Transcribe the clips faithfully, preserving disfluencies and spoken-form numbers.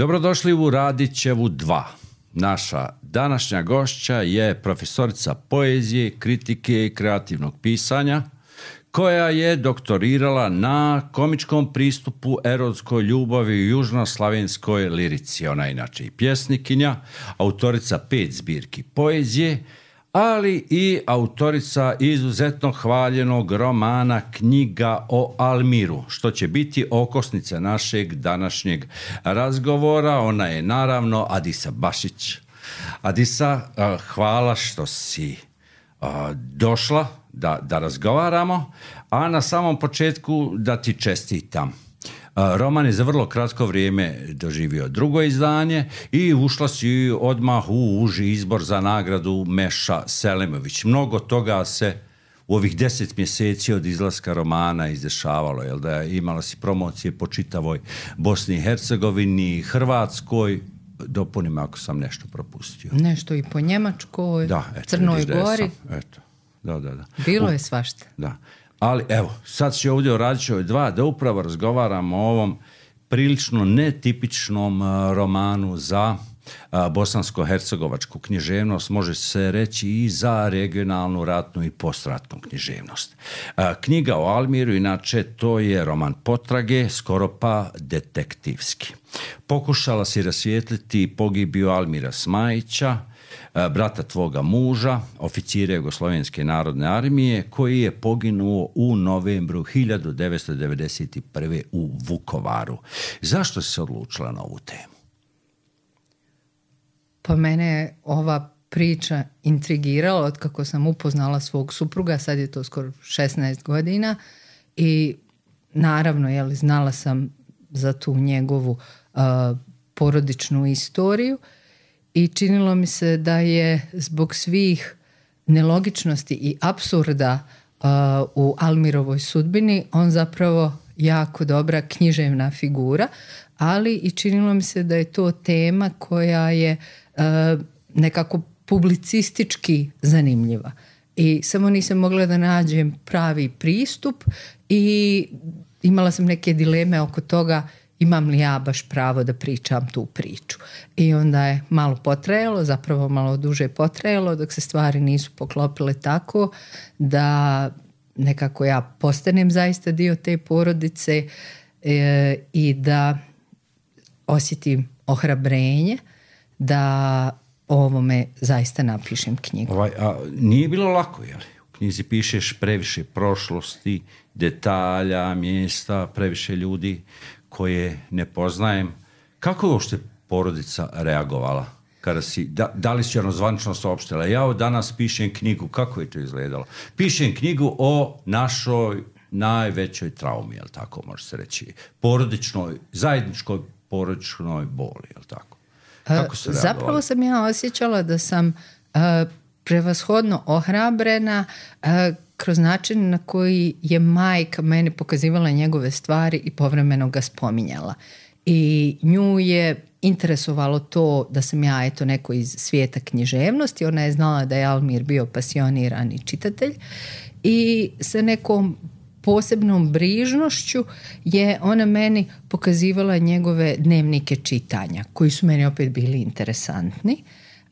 Dobrodošli u Radićevu dva. Naša današnja gošća je profesorica poezije, kritike i kreativnog pisanja, koja je doktorirala na komičkom pristupu erotskoj ljubavi u južnoslavenskoj lirici. Ona je inače i pjesnikinja, autorica pet zbirki poezije, ali i autorica izuzetno hvaljenog romana Knjiga o Almiru, što će biti okosnica našeg današnjeg razgovora. Ona je naravno Adisa Bašić. Adisa, hvala što si došla da, da razgovaramo, a na samom početku da ti čestitam. Roman je za vrlo kratko vrijeme doživio drugo izdanje i ušla si odmah u uži izbor za nagradu Meša Selimović. Mnogo toga se u ovih deset mjeseci od izlaska romana izdešavalo, jel da imala si promocije po čitavoj Bosni i Hercegovini, Hrvatskoj, dopunim ako sam nešto propustio. Nešto i po Njemačkoj, da, eto, Crnoj Gori. Sam, eto, da, da, da. Bilo u, je svašta. Da. Ali evo, sad će ovdje u Radićevoj dva da upravo razgovaramo o ovom prilično netipičnom romanu za bosansko-hercegovačku književnost, može se reći i za regionalnu, ratnu i postratnu književnost. Knjiga o Almiru, inače, to je roman potrage, skoro pa detektivski. Pokušala si rasvijetliti pogibiju Almira Smajića, brata tvoga muža, oficira Jugoslovenske narodne armije, koji je poginuo u novembru hiljadu devetsto devedeset prve u Vukovaru. Zašto si se odlučila na ovu temu? Pa mene je ova priča intrigirala od kako sam upoznala svog supruga, sad je to skoro šesnaest godina i naravno, jeli, znala sam za tu njegovu uh, porodičnu istoriju i činilo mi se da je zbog svih nelogičnosti i apsurda uh, u Almirovoj sudbini on zapravo jako dobra književna figura, ali i činilo mi se da je to tema koja je uh, nekako publicistički zanimljiva. I samo nisam mogla da nađem pravi pristup i imala sam neke dileme oko toga imam li ja baš pravo da pričam tu priču. I onda je malo potrajalo, zapravo malo duže potrajalo, dok se stvari nisu poklopile tako da nekako ja postanem zaista dio te porodice e, i da osjetim ohrabrenje da o ovome zaista napišem knjigu. Ovaj, a nije bilo lako, je li? U knjizi pišeš previše prošlosti, detalja, mjesta, previše ljudi koje ne poznajem. Kako je uopšte porodica reagovala? Kada si, da, da li si ono zvanično saopštila? Ja danas pišem knjigu, kako je to izgledalo? Pišem knjigu o našoj najvećoj traumi, jel tako može se reći? Porodičnoj, zajedničkoj porodičnoj boli, jel tako? Kako se reagovala? Zapravo sam ja osjećala da sam uh, prevashodno ohrabrena uh, kroz način na koji je majka meni pokazivala njegove stvari i povremeno ga spominjala. I nju je interesovalo to da sam ja eto neko iz svijeta književnosti. Ona je znala da je Almir bio pasionirani čitatelj i sa nekom posebnom brižnošću je ona meni pokazivala njegove dnevnike čitanja, koji su meni opet bili interesantni,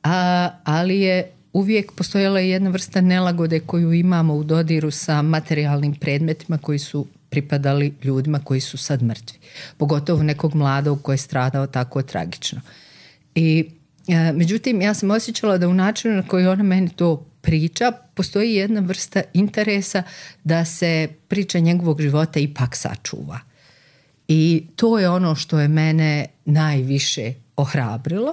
a, ali je uvijek postojala jedna vrsta nelagode koju imamo u dodiru sa materijalnim predmetima koji su pripadali ljudima koji su sad mrtvi. Pogotovo nekog mladog koji je stradao tako tragično. I e, međutim, ja sam osjećala da u načinu na koji ona meni to priča, postoji jedna vrsta interesa da se priča njegovog života ipak sačuva. I to je ono što je mene najviše ohrabrilo.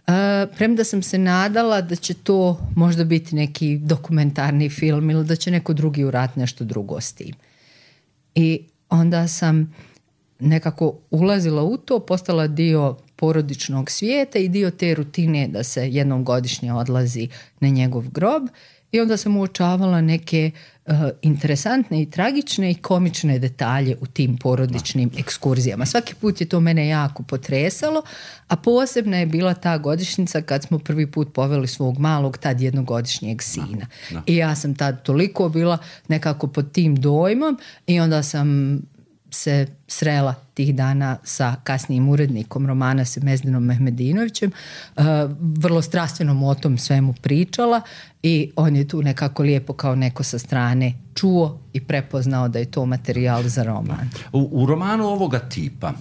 Uh, premda sam se nadala da će to možda biti neki dokumentarni film ili da će neko drugi uraditi nešto drugo s tim. I onda sam nekako ulazila u to, postala dio porodičnog svijeta i dio te rutine da se jednom godišnje odlazi na njegov grob. I onda sam uočavala neke uh, interesantne i tragične i komične detalje u tim porodičnim ekskurzijama. Svaki put je to mene jako potresalo, a posebna je bila ta godišnjica kad smo prvi put poveli svog malog, tad jednogodišnjeg sina. Da, da. I ja sam tad toliko bila nekako pod tim dojmom i onda sam se srela tih dana sa kasnijim urednikom romana Semezdinom Mehmedinovićem, uh, vrlo strastveno mu o tom svemu pričala i on je tu nekako lijepo kao neko sa strane čuo i prepoznao da je to materijal za roman. U, u romanu ovoga tipa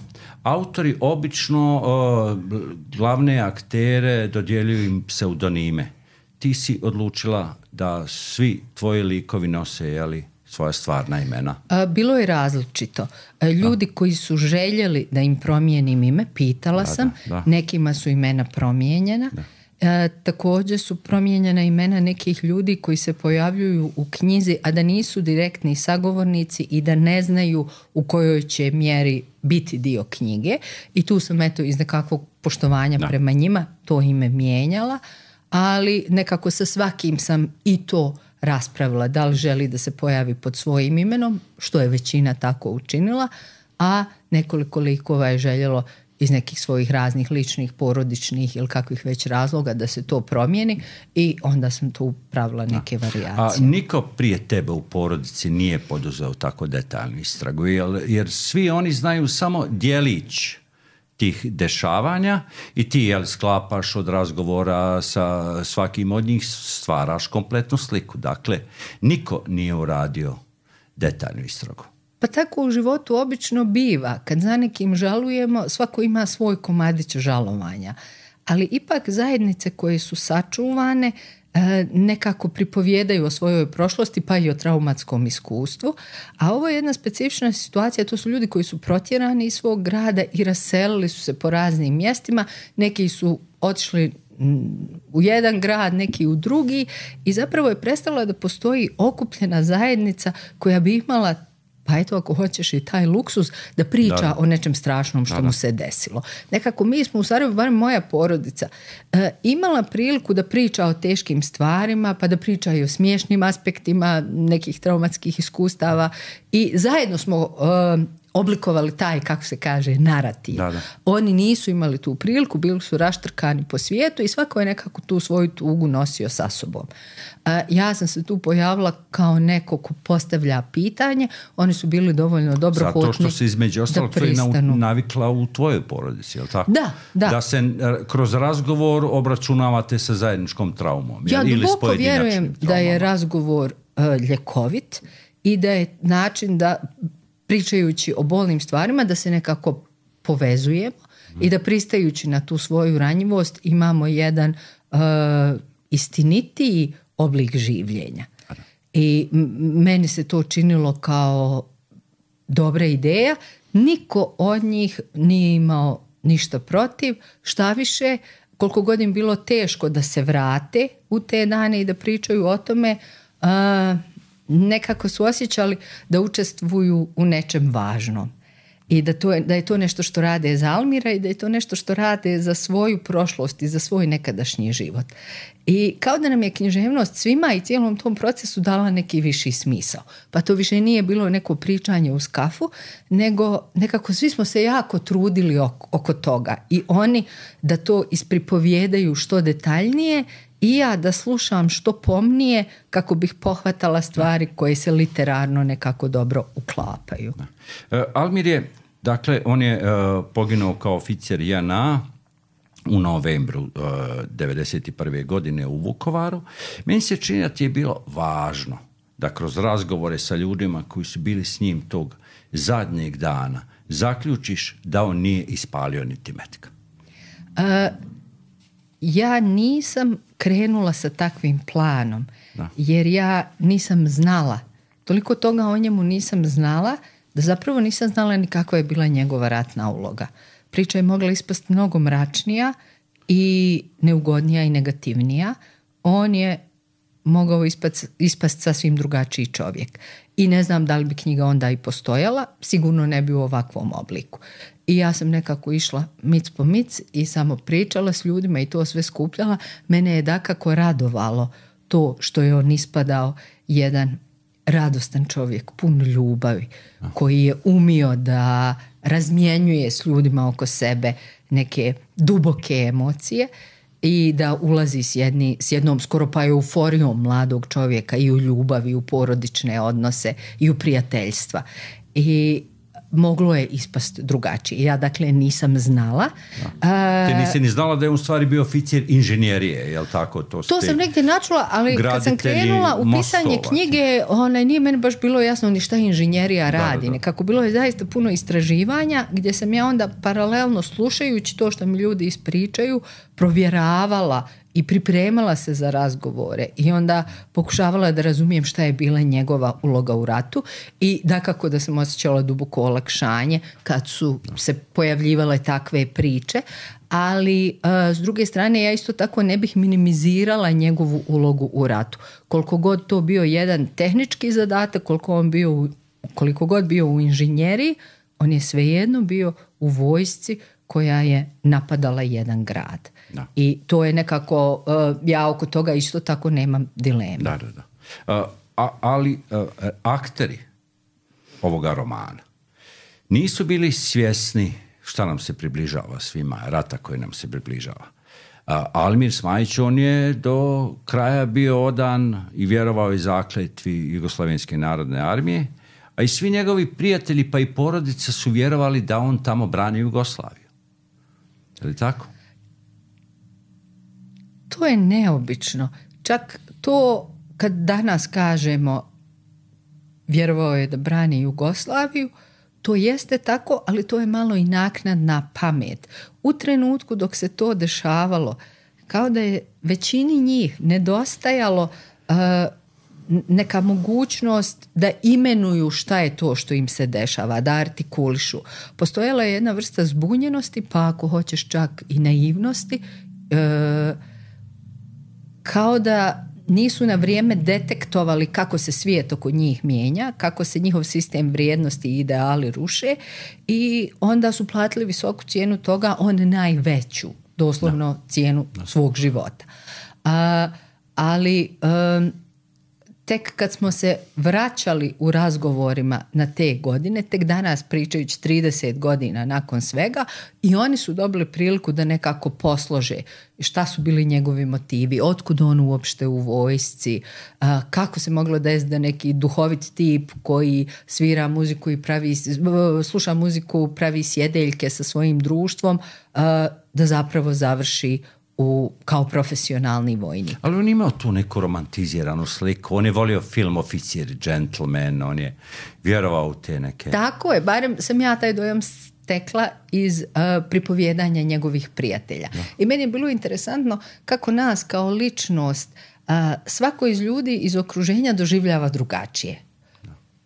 autori obično uh, glavne aktere dodjeljuju im pseudonime. Ti si odlučila da svi tvoji likovi nose, jeli, svoja stvarna imena? A, bilo je različito. Ljudi da. koji su željeli da im promijenim ime, pitala da, sam, da, da. nekima su imena promijenjena. Da. E, također su promijenjena imena nekih ljudi koji se pojavljuju u knjizi, a da nisu direktni sagovornici i da ne znaju u kojoj će mjeri biti dio knjige. I tu sam eto iz nekakvog poštovanja da. prema njima to ime mijenjala, ali nekako sa svakim sam i to raspravila da li želi da se pojavi pod svojim imenom, što je većina tako učinila, a nekoliko likova je željelo iz nekih svojih raznih ličnih, porodičnih ili kakvih već razloga da se to promijeni i onda sam tu pravila neke varijacije. A niko prije tebe u porodici nije poduzeo tako detaljnu istragu, jer, jer svi oni znaju samo djelić tih dešavanja i ti jel sklapaš od razgovora sa svakim od njih, stvaraš kompletnu sliku. Dakle, niko nije uradio detaljnu istragu. Pa tako u životu obično biva. Kad za nekim žalujemo, svako ima svoj komadić žalovanja. Ali ipak zajednice koje su sačuvane nekako pripovjedaju o svojoj prošlosti pa i o traumatskom iskustvu, a ovo je jedna specifična situacija, to su ljudi koji su protjerani iz svog grada i raselili su se po raznim mjestima, neki su otišli u jedan grad, neki u drugi i zapravo je prestala da postoji okupljena zajednica koja bi imala, pa eto ako hoćeš i taj luksuz da priča da. o nečem strašnom što da, da. mu se desilo. Nekako mi smo u Sarajevu, barem moja porodica, e, imala priliku da priča o teškim stvarima, pa da priča i o smiješnim aspektima nekih traumatskih iskustava i zajedno smo e, oblikovali taj, kako se kaže, narativ. Da, da. Oni nisu imali tu priliku, bili su raštrkani po svijetu i svako je nekako tu svoju tugu nosio sa sobom. E, ja sam se tu pojavila kao neko ko postavlja pitanje, oni su bili dovoljno dobrohotni. Zato što se između ostalog navikla u tvojoj porodici, je li tako? Da, da. Da se kroz razgovor obračunavate sa zajedničkom traumom. Ja ili duboko vjerujem traumama. Da je razgovor uh, ljekovit i da je način da pričajući o bolnim stvarima da se nekako povezujemo mm. i da pristajući na tu svoju ranjivost imamo jedan uh, istinitiji oblik življenja. I meni se to činilo kao dobra ideja. Niko od njih nije imao ništa protiv. Šta više, koliko god im bilo teško da se vrate u te dane i da pričaju o tome, uh, nekako su osjećali da učestvuju u nečem važnom. I da, to je, da je to nešto što rade za Almira i da je to nešto što rade za svoju prošlost i za svoj nekadašnji život. I kao da nam je književnost svima i cijelom tom procesu dala neki viši smisao. Pa to više nije bilo neko pričanje uz kafu, nego nekako svi smo se jako trudili oko, oko toga. I oni da to ispripovjedaju što detaljnije i ja da slušam što pomnije kako bih pohvatala stvari koje se literarno nekako dobro uklapaju. Uh, Almir je, dakle, on je uh, poginuo kao oficir J N A u novembru uh, devedeset prve godine u Vukovaru. Meni se čini da ti je bilo važno da kroz razgovore sa ljudima koji su bili s njim tog zadnjeg dana zaključiš da on nije ispalio niti metka. Uh, ja nisam krenula sa takvim planom, da. jer ja nisam znala, toliko toga o njemu nisam znala, da zapravo nisam znala ni kakva je bila njegova ratna uloga. Priča je mogla ispasti mnogo mračnija i neugodnija i negativnija. On je mogao ispast, ispast sasvim drugačiji čovjek. I ne znam da li bi knjiga onda i postojala, sigurno ne bi u ovakvom obliku. I ja sam nekako išla mic po mic i samo pričala s ljudima i to sve skupljala. Mene je dakako radovalo to što je on ispadao jedan radostan čovjek, pun ljubavi, koji je umio da razmjenjuje s ljudima oko sebe neke duboke emocije i da ulazi s, jedni, s jednom skoro pa euforijom mladog čovjeka i u ljubav i u porodične odnose i u prijateljstva. I moglo je ispast drugačije. Ja dakle nisam znala. Ti nisi ni znala da je u stvari bio oficir inženjerije, je li tako? To, to sam negdje načula, ali kad sam krenula u pisanje knjige, onaj, nije meni baš bilo jasno ni šta inženjerija radi. Da, da, da. Kako bilo je zaista puno istraživanja, gdje sam ja onda paralelno slušajući to što mi ljudi ispričaju, provjeravala i pripremala se za razgovore i onda pokušavala da razumijem šta je bila njegova uloga u ratu i dakako da sam osjećala duboko olakšanje kad su se pojavljivale takve priče, ali uh, s druge strane ja isto tako ne bih minimizirala njegovu ulogu u ratu. Koliko god to bio jedan tehnički zadatak, koliko on bio, koliko god bio u inženjeriji, on je svejedno bio u vojsci koja je napadala jedan grad. Da. I to je nekako, uh, ja oko toga isto tako nemam dileme. Da, da, da. Uh, a, ali uh, akteri ovoga romana nisu bili svjesni šta nam se približava svima, rata koji nam se približava. Uh, Almir Smajić, on je do kraja bio odan i vjerovao i zakletvi Jugoslavenske narodne armije, a i svi njegovi prijatelji pa i porodica su vjerovali da on tamo brani Jugoslaviju. Je li tako? To je neobično. Čak to kad danas kažemo vjerovao je da brani Jugoslaviju, to jeste tako, ali to je malo i naknadna pamet. U trenutku dok se to dešavalo, kao da je većini njih nedostajalo uh, neka mogućnost da imenuju šta je to što im se dešava, da artikulišu. Postojala je jedna vrsta zbunjenosti, pa ako hoćeš čak i naivnosti, uh, kao da nisu na vrijeme detektovali kako se svijet oko njih mijenja, kako se njihov sistem vrijednosti i ideali ruše i onda su platili visoku cijenu toga, on najveću, doslovno no. cijenu no. svog života. A, ali um, tek kad smo se vraćali u razgovorima na te godine, tek danas pričajući trideset godina nakon svega, i oni su dobili priliku da nekako poslože šta su bili njegovi motivi, otkud on uopšte u vojsci, kako se moglo desiti da neki duhovit tip koji svira muziku i pravi, sluša muziku, pravi sjedeljke sa svojim društvom, da zapravo završi U, kao profesionalni vojnik. Ali on imao tu neku romantiziranu sliku. On je volio film Oficir, Gentleman, on je vjerovao u te neke... Tako je, barem sam ja taj dojam stekla iz uh, pripovjedanja njegovih prijatelja. Da. I meni je bilo interesantno kako nas kao ličnost uh, svako iz ljudi iz okruženja doživljava drugačije.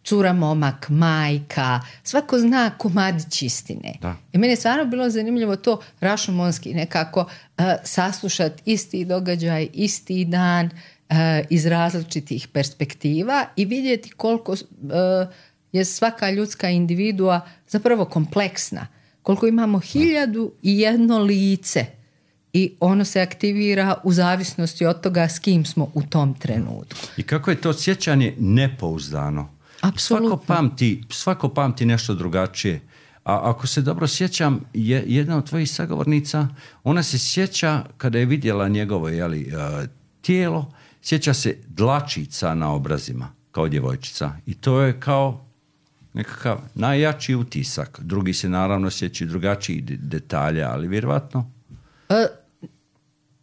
Cura, momak, majka, svako zna komadić istine. Da. I meni je stvarno bilo zanimljivo to rašomonski nekako uh, saslušati isti događaj, isti dan uh, iz različitih perspektiva i vidjeti koliko uh, je svaka ljudska individua zapravo kompleksna. Koliko imamo hiljadu i jedno lice i ono se aktivira u zavisnosti od toga s kim smo u tom trenutku. I kako je to sjećanje nepouzdano. Apsolutno. Svako pamti, svako pamti nešto drugačije. A ako se dobro sjećam, je, jedna od tvojih sagovornica, ona se sjeća kada je vidjela njegovo jeli, uh, tijelo, sjeća se dlačica na obrazima kao djevojčica. I to je kao nekakav najjači utisak. Drugi se naravno sjećaju drugačiji detalje, ali vjerovatno... E,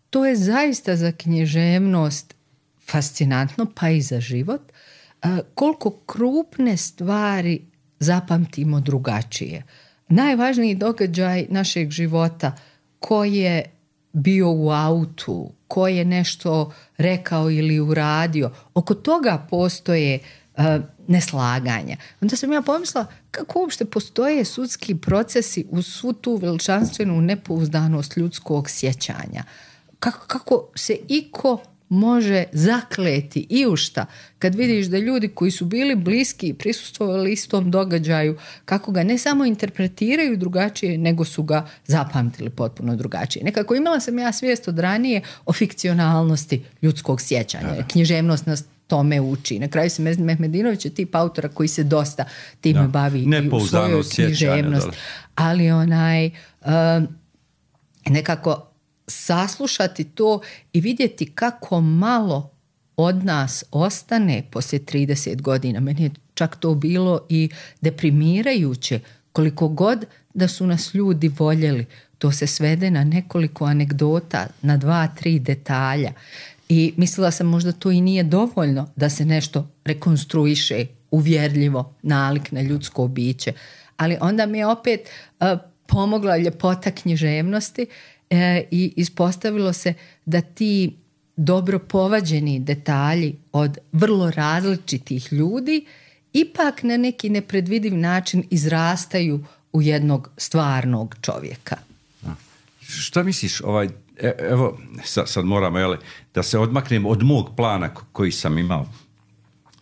to je zaista za književnost fascinantno, pa i za život. Uh, koliko krupne stvari zapamtimo drugačije. Najvažniji događaj našeg života, ko je bio u autu, ko je nešto rekao ili uradio, oko toga postoje uh, neslaganja. Onda sam ja pomislila kako uopšte postoje sudski procesi uz svu tu veličanstvenu nepouzdanost ljudskog sjećanja. Kako, kako se iko može zakleti i u šta kad vidiš da ljudi koji su bili bliski i prisustvovali istom događaju, kako ga ne samo interpretiraju drugačije, nego su ga zapamtili potpuno drugačije. Nekako imala sam ja svijest od ranije o fikcionalnosti ljudskog sjećanja. Da. Književnost nas tome uči. Na kraju se Mezdin Mehmedinović je tip autora koji se dosta time da. bavi i u svojoj književnosti. Ali onaj uh, nekako saslušati to i vidjeti kako malo od nas ostane poslije trideset godina. Meni je čak to bilo i deprimirajuće, koliko god da su nas ljudi voljeli, to se svede na nekoliko anegdota, na dva, tri detalja. I mislila sam možda to i nije dovoljno da se nešto rekonstruiše uvjerljivo, nalik na ljudsko biće. Ali onda mi je opet uh, pomogla ljepota književnosti uh, i ispostavilo se da ti dobro povađeni detalji od vrlo različitih ljudi ipak na neki nepredvidiv način izrastaju u jednog stvarnog čovjeka. Šta misliš, ovaj, evo, sad, sad moramo, jel, da se odmaknem od mog plana koji sam imao.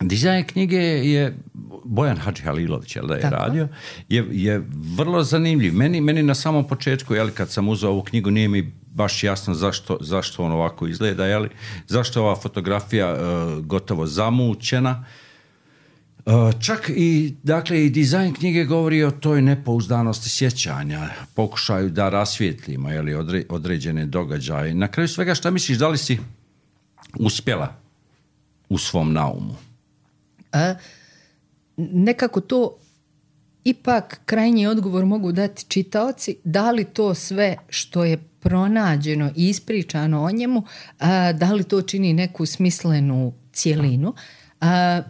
Dizajn knjige je Bojan Hadžihalilović, jel da je Tako. radio, je, je vrlo zanimljiv. Meni, meni na samom početku, jel, kad sam uzeo ovu knjigu, nije mi baš jasno zašto, zašto on ovako izgleda, jel, zašto ova fotografija uh, gotovo zamućena. Uh, čak i, dakle, i dizajn knjige govori o toj nepouzdanosti sjećanja, pokušaju da rasvijetlimo, jel, odre, određene događaje. Na kraju svega, šta misliš, da li si uspjela u svom naumu? A, nekako to ipak krajnji odgovor mogu dati čitaoci, da li to sve što je pronađeno i ispričano o njemu, a, da li to čini neku smislenu cjelinu. A,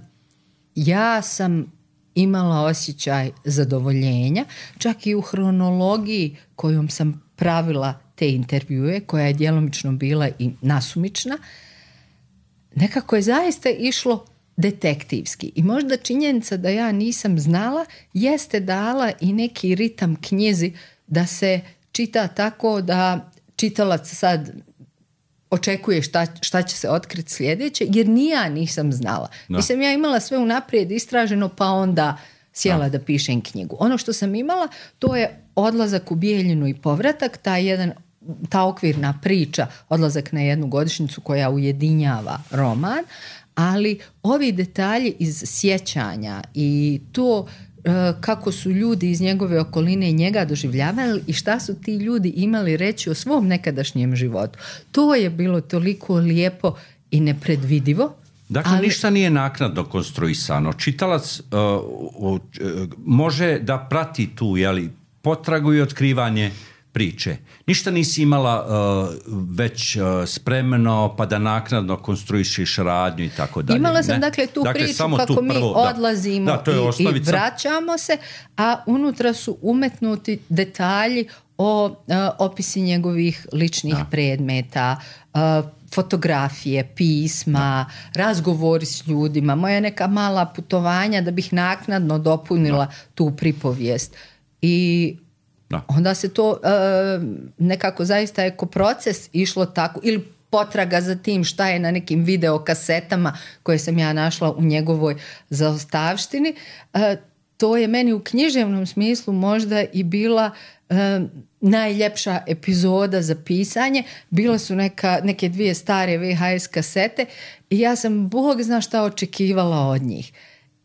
ja sam imala osjećaj zadovoljenja, čak i u hronologiji kojom sam pravila te intervjue, koja je djelomično bila i nasumična, nekako je zaista išlo detektivski. I možda činjenica da ja nisam znala jeste dala i neki ritam knjizi da se čita tako da čitalac sad očekuje šta, šta će se otkriti sljedeće, jer ni ja nisam znala. Da. Nisam ja imala sve unaprijed istraženo, pa onda sjela da. da pišem knjigu. Ono što sam imala, to je odlazak u Bijeljinu i povratak, ta jedan ta okvirna priča, odlazak na jednu godišnjicu koja ujedinjava roman, ali ovi detalji iz sjećanja i to e, kako su ljudi iz njegove okoline njega doživljavali i šta su ti ljudi imali reći o svom nekadašnjem životu. To je bilo toliko lijepo i nepredvidivo. Dakle, ali ništa nije naknadno konstruisano. Čitalac uh, uh, može da prati tu, jeli, potragu i otkrivanje priče. Ništa nisi imala uh, već uh, spremno pa da naknadno konstruišiš radnju i tako dalje. Imala sam ne? dakle tu dakle, priču kako tu mi prvo, odlazimo da, da, i, i vraćamo se, a unutra su umetnuti detalji o uh, opisi njegovih ličnih da. predmeta, uh, fotografije, pisma, da. razgovori s ljudima, moja neka mala putovanja da bih naknadno dopunila da. tu pripovijest. I Da. onda se to uh, nekako zaista je ko proces išlo tako, ili potraga za tim šta je na nekim videokasetama koje sam ja našla u njegovoj zaostavštini. Uh, to je meni u književnom smislu možda i bila uh, najljepša epizoda za pisanje. Bila su neka, neke dvije stare V H S kasete i ja sam Bog zna šta očekivala od njih.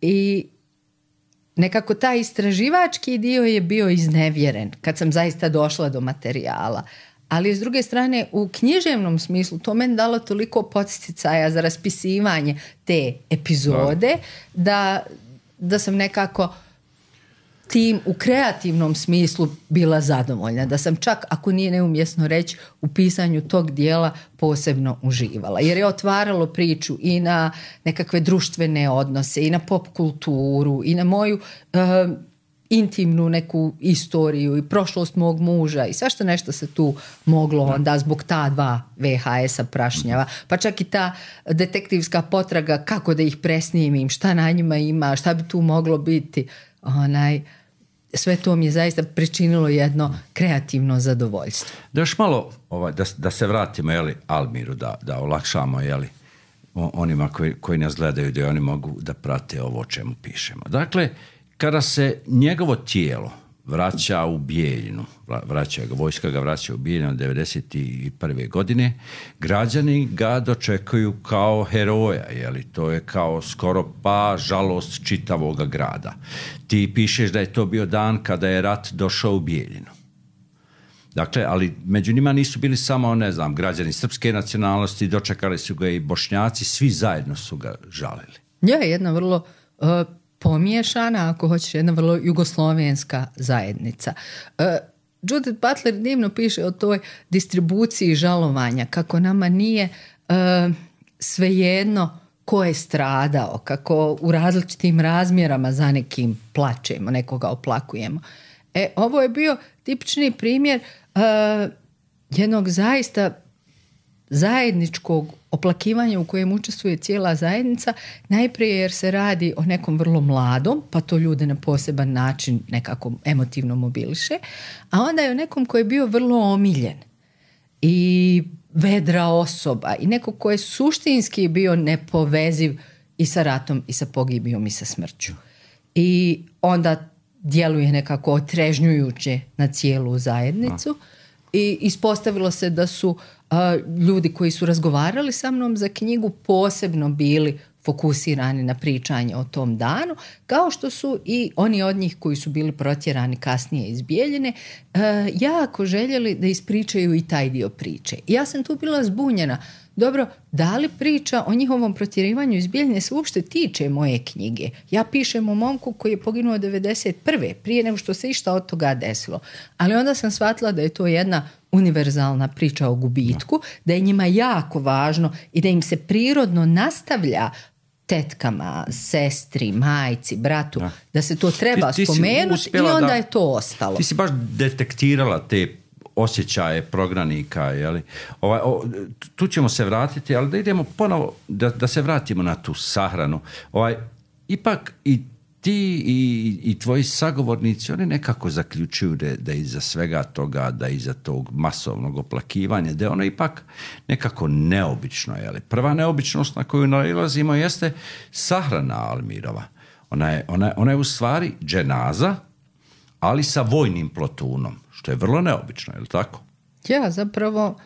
I nekako taj istraživački dio je bio iznevjeren kad sam zaista došla do materijala. Ali s druge strane, u književnom smislu to meni dalo toliko podsticaja za raspisivanje te epizode da, da sam nekako tim u kreativnom smislu bila zadovoljna. Da sam čak, ako nije neumjesno reći, u pisanju tog dijela posebno uživala. Jer je otvaralo priču i na nekakve društvene odnose, i na pop kulturu, i na moju uh, intimnu neku istoriju i prošlost mog muža i svašta nešto se tu moglo onda zbog ta dva V H S-a prašnjava. Pa čak i ta detektivska potraga kako da ih presnimim, šta na njima ima, šta bi tu moglo biti. Onaj, sve to mi je zaista pričinilo jedno kreativno zadovoljstvo. Da još malo, ovaj, da, da se vratimo, jeli, Almiru, da, da olakšamo, jeli, onima koji, koji nas gledaju, da oni mogu da prate ovo o čemu pišemo. Dakle, kada se njegovo tijelo vraća u Bijeljinu, vraća ga, vojska ga vraća u Bijeljinu devedeset prve godine, građani ga dočekuju kao heroja, jeli, to je kao skoro pa žalost čitavog grada. Ti pišeš da je to bio dan kada je rat došao u Bijeljinu. Dakle, ali među njima nisu bili samo, ne znam, građani srpske nacionalnosti, dočekali su ga i Bošnjaci, svi zajedno su ga žalili. Je, jedna vrlo uh, pomiješana, ako hoćeš, jedna vrlo jugoslovenska zajednica. Uh, Judith Butler divno piše o toj distribuciji žalovanja, kako nama nije uh, svejedno ko je stradao, kako u različitim razmjerama za nekim plačemo, nekoga oplakujemo. E, ovo je bio tipični primjer uh, jednog zaista zajedničkog oplakivanja u kojem učestvuje cijela zajednica, najprije jer se radi o nekom vrlo mladom, pa to ljude na poseban način nekako emotivno mobiliše, a onda je o nekom koji je bio vrlo omiljen i vedra osoba i neko ko je suštinski bio nepoveziv i sa ratom i sa pogibijom i sa smrću. I onda djeluje nekako otrežnjujuće na cijelu zajednicu i ispostavilo se da su uh, ljudi koji su razgovarali sa mnom za knjigu posebno bili fokusirani na pričanje o tom danu, kao što su i oni od njih koji su bili protjerani kasnije iz Bijeljine uh, jako željeli da ispričaju i taj dio priče. I ja sam tu bila zbunjena. Dobro, da li priča o njihovom protjerivanju iz Bijeljine se uopšte tiče moje knjige? Ja pišem o momku koji je poginuo devedeset prve prije nego što se išta od toga desilo. Ali onda sam shvatila da je to jedna univerzalna priča o gubitku, da je njima jako važno i da im se prirodno nastavlja tetkama, sestri, majci, bratu, da, da se to treba ti, ti spomenuti i onda da, je to ostalo. Ti si baš detektirala te osjećaje prognanika, jeli? Ovaj, o, tu ćemo se vratiti, ali da idemo ponovo, da, da se vratimo na tu sahranu. Ovaj, ipak i ti i, i tvoji sagovornici, oni nekako zaključuju da, da iza svega toga, da iza tog masovnog oplakivanja, da je ono ipak nekako neobično. Jeli? Prva neobičnost na koju nailazimo jeste sahrana Almirova. Ona je, ona, ona je u stvari dženaza, ali sa vojnim plotunom, što je vrlo neobično, je li tako? Ja, zapravo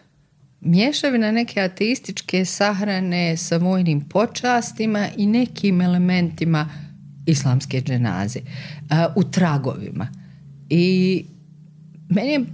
mješavina neke ateističke sahrane sa vojnim počastima i nekim elementima islamske dženaze uh, u tragovima. I meni je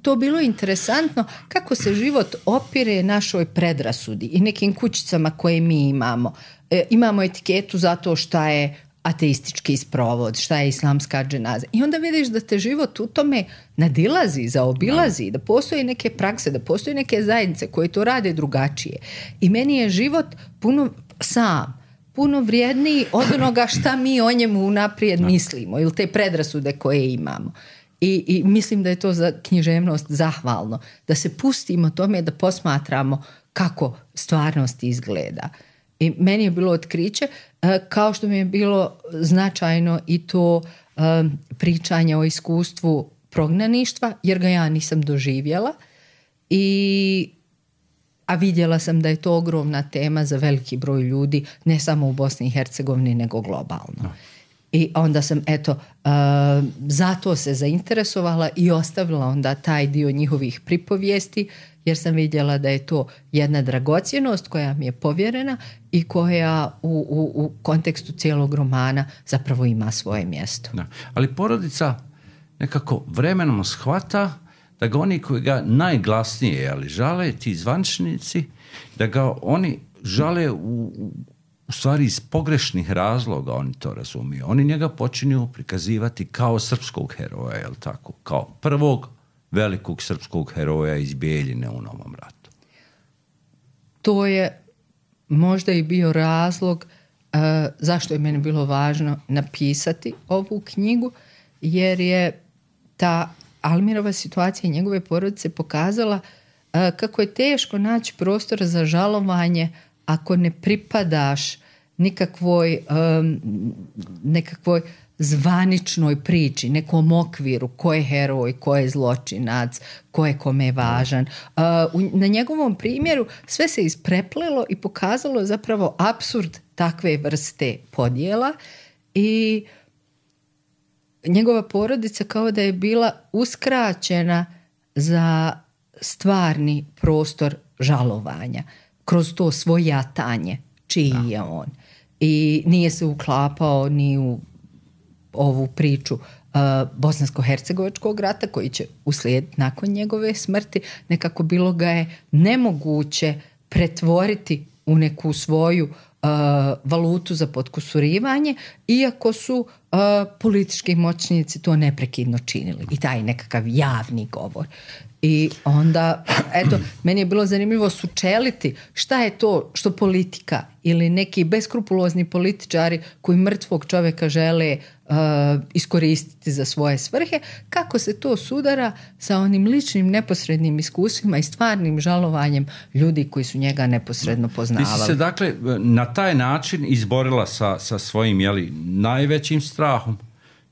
to bilo interesantno kako se život opire našoj predrasudi i nekim kućicama koje mi imamo. E, imamo etiketu zato šta je ateistički sprovod, šta je islamska dženaza. I onda vidiš da te život u tome nadilazi, zaobilazi, da postoje neke prakse, da postoje neke zajednice koje to rade drugačije. I meni je život puno sam, puno vrijedniji od onoga šta mi o njemu unaprijed mislimo ili te predrasude koje imamo. I, I mislim da je to za književnost zahvalno. Da se pustimo tome da posmatramo kako stvarnost izgleda. I meni je bilo otkriće, kao što mi je bilo značajno i to um, pričanje o iskustvu prognaništva, jer ga ja nisam doživjela, i, a vidjela sam da je to ogromna tema za veliki broj ljudi, ne samo u Bosni i Hercegovini, nego globalno. No. I onda sam, eto, uh, zato se zainteresovala i ostavila onda taj dio njihovih pripovijesti, jer sam vidjela da je to jedna dragocjenost koja mi je povjerena i koja u, u, u kontekstu cijelog romana zapravo ima svoje mjesto. Da. Ali porodica nekako vremenom shvata da ga oni koji ga najglasnije, ali žale, ti zvančnici, da ga oni žale u, u stvari iz pogrešnih razloga, oni to razumiju. Oni njega počinju prikazivati kao srpskog heroja, jel tako? Kao prvog velikog srpskog heroja iz Bijeljine u Novom ratu. To je možda i bio razlog uh, zašto je meni bilo važno napisati ovu knjigu, jer je ta Almirova situacija i njegove porodice pokazala uh, kako je teško naći prostor za žalovanje ako ne pripadaš nikakvoj um, nekakvoj zvaničnoj priči, nekom okviru, ko je heroj, ko je zločinac, ko je kome važan. Uh, na njegovom primjeru sve se ispreplelo i pokazalo zapravo apsurd takve vrste podjela i njegova porodica kao da je bila uskraćena za stvarni prostor žalovanja kroz to svojatanje čiji je on. I nije se uklapao ni u ovu priču uh, bosansko-hercegovačkog rata koji će uslijediti nakon njegove smrti. Nekako bilo ga je nemoguće pretvoriti u neku svoju uh, valutu za potkusurivanje, iako su uh, politički moćnici to neprekidno činili. I taj nekakav javni govor. I onda, eto, meni je bilo zanimljivo sučeliti šta je to što politika ili neki beskrupulozni političari koji mrtvog čovjeka žele uh, iskoristiti za svoje svrhe, kako se to sudara sa onim ličnim neposrednim iskustvima i stvarnim žalovanjem ljudi koji su njega neposredno poznavali. Ti si se dakle na taj način izborila sa, sa svojim jeli, najvećim strahom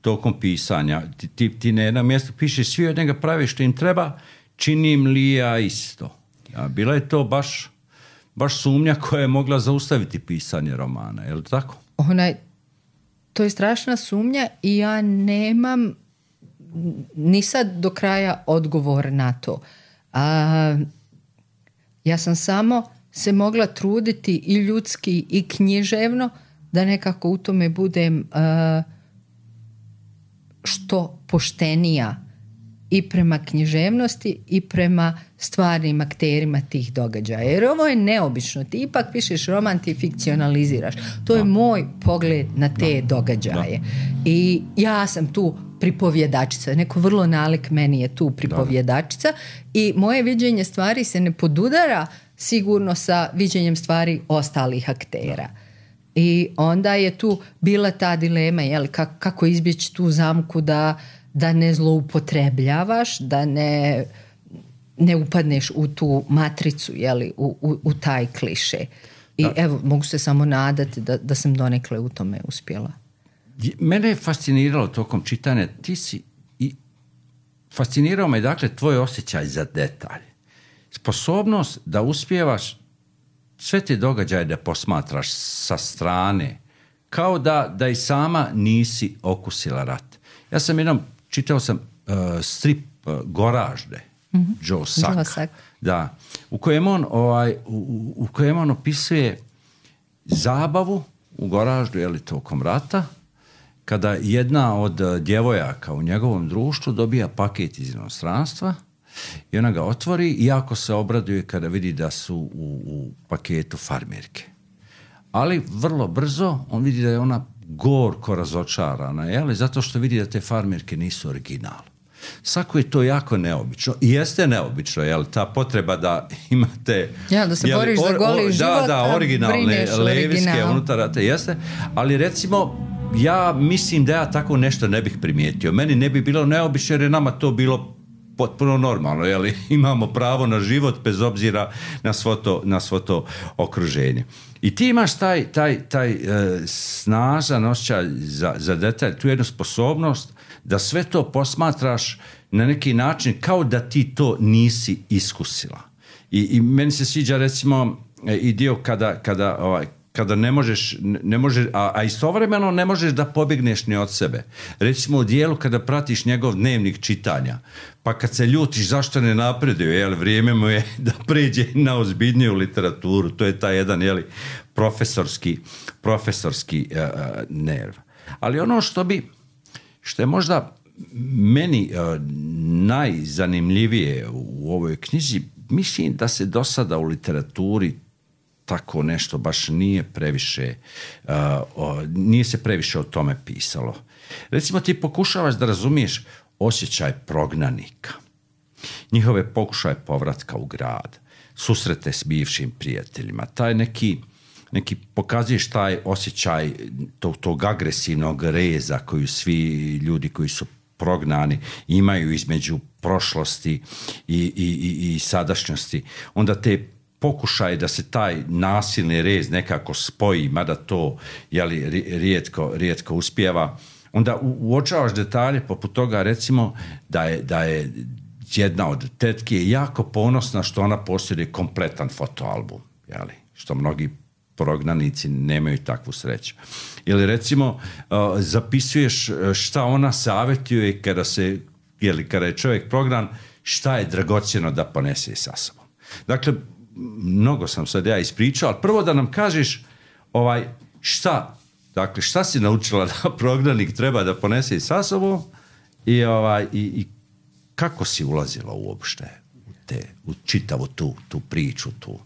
tokom pisanja. Ti, ti, ti na jednom mjestu pišeš, svi od njega pravi što im treba, činim li ja isto. Ja, bila je to baš, baš sumnja koja je mogla zaustaviti pisanje romana, je li tako? Onaj, to je strašna sumnja i ja nemam ni sad do kraja odgovor na to. A, ja sam samo se mogla truditi i ljudski i književno da nekako u tome budem a, što poštenija i prema književnosti i prema stvarnim akterima tih događaja. Jer ovo je neobično. Ti ipak pišeš roman, ti fikcionaliziraš. To je moj pogled na te događaje. I ja sam tu pripovjedačica. Neko vrlo nalik meni je tu pripovjedačica i moje viđenje stvari se ne podudara sigurno sa viđenjem stvari ostalih aktera. I onda je tu bila ta dilema, jel, kako izbjeći tu zamku da da ne zloupotrebljavaš, da ne, ne upadneš u tu matricu, jeli, u, u, u taj kliše. I da. Evo, mogu se samo nadati da, da sam donekle u tome uspjela. Mene je fasciniralo tokom čitanja, ti si i fascinirao me dakle tvoj osjećaj za detalj. Sposobnost da uspijevaš sve te događaje da posmatraš sa strane, kao da, da i sama nisi okusila rat. Ja sam jednom čitao sam uh, strip uh, Goražde, mm-hmm. Joe Sack, Joe Sack. Da, u kojem on ovaj, u, u kojem on opisuje zabavu u Goraždu, je li tokom rata, kada jedna od uh, djevojaka u njegovom društvu dobija paket iz inostranstva i ona ga otvori i jako se obraduje kada vidi da su u, u paketu farmerke. Ali vrlo brzo on vidi da je ona gorko razočarana, jel? Zato što vidi da te farmerke nisu original. Svako je to jako neobično. I jeste neobično, jel? Ta potreba da imate... Ja, da se jel, boriš or, za goli or, život, da, da, originalne leviske unutar, jeste. Ali recimo, ja mislim da ja tako nešto ne bih primijetio. Meni ne bi bilo neobično jer je nama to bilo potpuno normalno, jel? Imamo pravo na život bez obzira na svo to, na svo to okruženje. I ti imaš taj, taj, taj e, snažan osjećaj za, za detalj, tu jednu sposobnost da sve to posmatraš na neki način kao da ti to nisi iskusila. I, i meni se sviđa recimo i dio kada, kada, ovaj, kada ne možeš, ne možeš a, a istovremeno ne možeš da pobjegneš ni od sebe. Recimo u dijelu kada pratiš njegov dnevnik čitanja, pa kad se ljutiš zašto ne napreduje, jel, vrijeme mu je da pređe na ozbiljniju literaturu, to je taj jedan, jel, profesorski, profesorski uh, nerv. Ali ono što bi, što je možda meni uh, najzanimljivije u ovoj knjizi, mislim da se do sada u literaturi tako nešto baš nije previše, uh, o, nije se previše o tome pisalo. Recimo ti pokušavaš da razumiješ osjećaj prognanika, njihove pokušaje povratka u grad, susrete s bivšim prijateljima, taj neki, neki pokazuješ taj osjećaj tog, tog agresivnog reza koju svi ljudi koji su prognani imaju između prošlosti i, i, i, i sadašnjosti. Onda te pokušaj da se taj nasilni rez nekako spoji, mada to jeli, rijetko, rijetko uspijeva, onda uočavaš detalje poput toga, recimo da je, da je jedna od tetki je jako ponosna što ona posjeduje kompletan fotoalbum, jeli, što mnogi prognanici nemaju takvu sreću. Ili recimo uh, zapisuješ šta ona savjetuje kada se, jeli, kada je čovjek prognan, šta je dragocjeno da ponese sa sobom. Dakle, mnogo sam sad ja ispričao, ali prvo da nam kažeš ovaj, šta, dakle, šta si naučila da prognanik treba da ponese sa sobom i, ovaj, i, i kako si ulazila uopšte u, te, u čitavu tu, tu priču, tu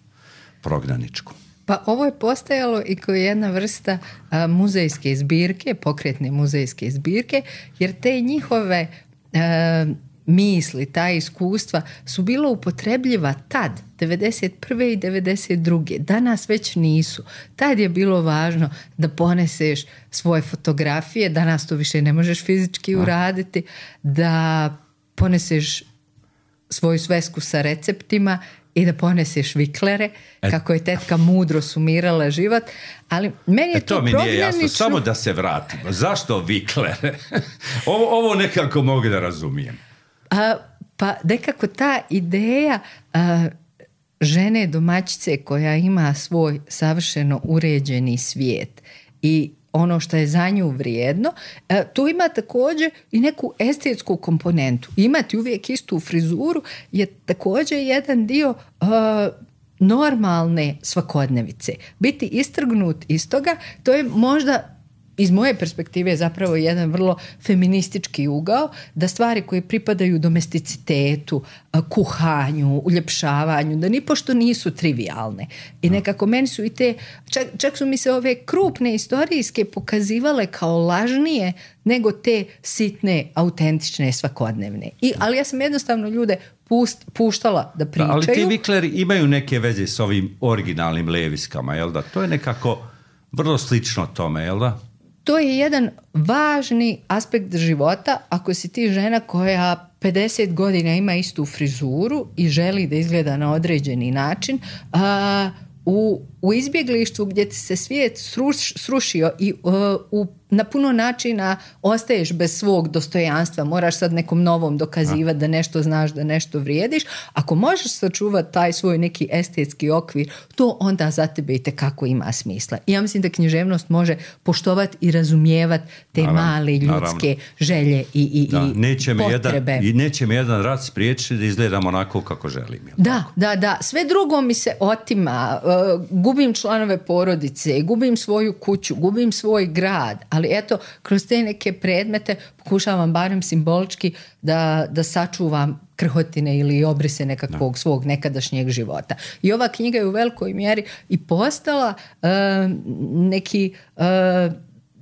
prognaničku? Pa ovo je postajalo i kao jedna vrsta a, muzejske zbirke, pokretne muzejske zbirke, jer te njihove a, misli, ta iskustva su bilo upotrebljiva tad, devedeset prve i devedeset druge Danas već nisu. Tad je bilo važno da poneseš svoje fotografije, danas to više ne možeš fizički uraditi, da poneseš svoju svesku sa receptima i da poneseš viklere, e, kako je tetka mudro sumirala život, ali meni je e, to, to mi nije jasno, prognanično... samo da se vratimo. Zašto viklere? ovo, ovo nekako mogu da razumijem. A, pa nekako ta ideja a, žene domaćice koja ima svoj savršeno uređeni svijet i ono što je za nju vrijedno, a, tu ima također i neku estetsku komponentu. Imati uvijek istu frizuru je također jedan dio a, normalne svakodnevice. Biti istrgnut iz toga, to je možda iz moje perspektive zapravo jedan vrlo feministički ugao, da stvari koje pripadaju domesticitetu, kuhanju, uljepšavanju, da nipošto nisu trivialne. I nekako meni su i te, čak, čak su mi se ove krupne istorijske pokazivale kao lažnije nego te sitne, autentične, svakodnevne. I, ali ja sam jednostavno ljude pust, puštala da pričaju. Ali ti vikleri imaju neke veze s ovim originalnim leviskama, jel da? To je nekako vrlo slično tome, jel da? To je jedan važni aspekt života ako si ti žena koja pedeset godina ima istu frizuru i želi da izgleda na određeni način, a, u, u izbjeglištvu gdje ti se svijet sruš, srušio i uh, u, na puno načina ostaješ bez svog dostojanstva, moraš sad nekom novom dokazivati da nešto znaš, da nešto vrijediš. Ako možeš sačuvati taj svoj neki estetski okvir, to onda za tebe itekako ima smisla. I ja mislim da književnost može poštovati i razumijevati te naravno, male ljudske naravno. želje i, i, da, i neće potrebe. Jedan, I neće mi jedan rat spriječiti da izgledam onako kako želim. Da, tako? da, da. Sve drugo mi se otima. Uh, gubim članove porodice, gubim svoju kuću, gubim svoj grad, ali eto, kroz te neke predmete pokušavam barem simbolički da, da sačuvam krhotine ili obrise nekakvog da. svog nekadašnjeg života. I ova knjiga je u velikoj mjeri i postala uh, neki uh,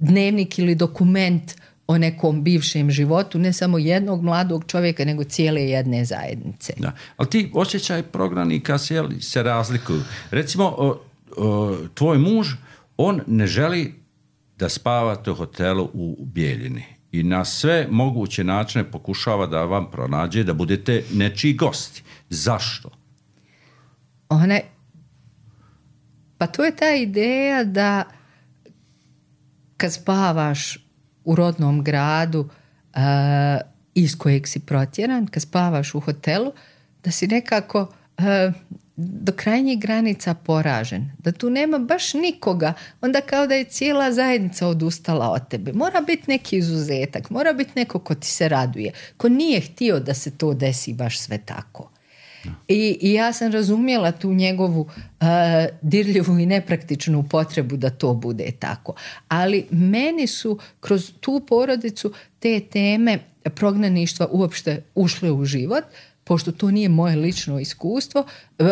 dnevnik ili dokument o nekom bivšem životu, ne samo jednog mladog čovjeka, nego cijele jedne zajednice. Da. Ali ti osjećaj prognanika se, se razlikuju. Recimo, o, o, tvoj muž, on ne želi da spavate u hotelu u Bijeljini i na sve moguće načine pokušava da vam pronađe da budete nečiji gosti. Zašto? Ona, pa to je ta ideja da kad spavaš u rodnom gradu uh, iz kojeg si protjeran, kad spavaš u hotelu, da si nekako uh, do krajnjih granica poražen, da tu nema baš nikoga, onda kao da je cijela zajednica odustala od tebe. Mora biti neki izuzetak, mora biti neko ko ti se raduje, ko nije htio da se to desi baš sve tako. I, i ja sam razumjela tu njegovu uh, dirljivu i nepraktičnu potrebu da to bude tako. Ali meni su kroz tu porodicu te teme prognaništva uopšte ušle u život, pošto to nije moje lično iskustvo. Uh,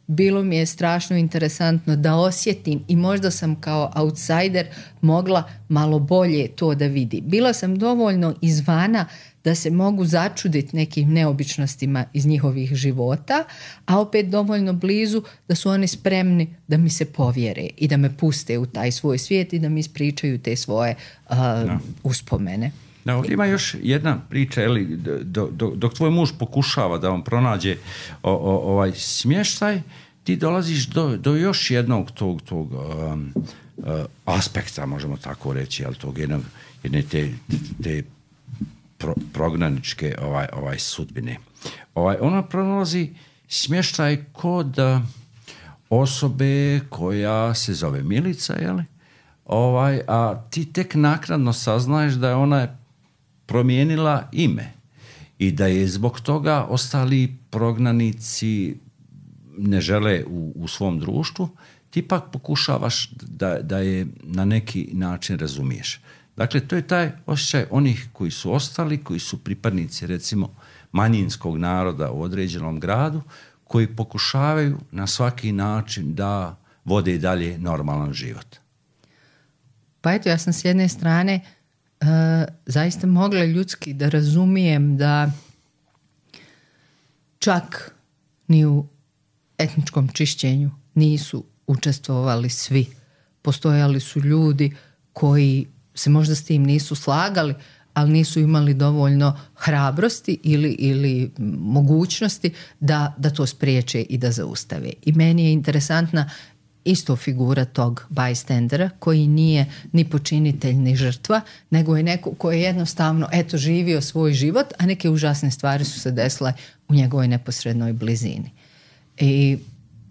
bilo mi je strašno interesantno da osjetim i možda sam kao outsider mogla malo bolje to da vidi. Bila sam dovoljno izvana da se mogu začuditi nekim neobičnostima iz njihovih života, a opet dovoljno blizu da su oni spremni da mi se povjere i da me puste u taj svoj svijet i da mi ispričaju te svoje uh, no. uspomene. No, ima još jedna priča, eli, do, do, dok tvoj muž pokušava da vam pronađe o, o, ovaj smještaj, ti dolaziš do, do još jednog tog, tog um, uh, aspekta, možemo tako reći, ali tog jednog, jedne te, te pro, prognaničke ovaj, ovaj sudbine. Ovaj, ona pronalazi smještaj kod osobe koja se zove Milica, jeli? Ovaj, a ti tek naknadno saznaješ da je ona promijenila ime i da je zbog toga ostali prognanici ne žele u, u svom društvu, ti pak pokušavaš da, da je na neki način razumiješ. Dakle, to je taj osjećaj onih koji su ostali, koji su pripadnici, recimo, manjinskog naroda u određenom gradu, koji pokušavaju na svaki način da vode dalje normalan život? Pa eto, ja sam s jedne strane uh, zaista mogla ljudski da razumijem da čak ni u etničkom čišćenju nisu učestvovali svi. Postojali su ljudi koji se možda s tim nisu slagali, ali nisu imali dovoljno hrabrosti ili, ili mogućnosti da, da to spriječe i da zaustave. I meni je interesantna isto figura tog bystandera koji nije ni počinitelj ni žrtva, nego je neko koji je jednostavno eto živio svoj život, a neke užasne stvari su se desile u njegovoj neposrednoj blizini. I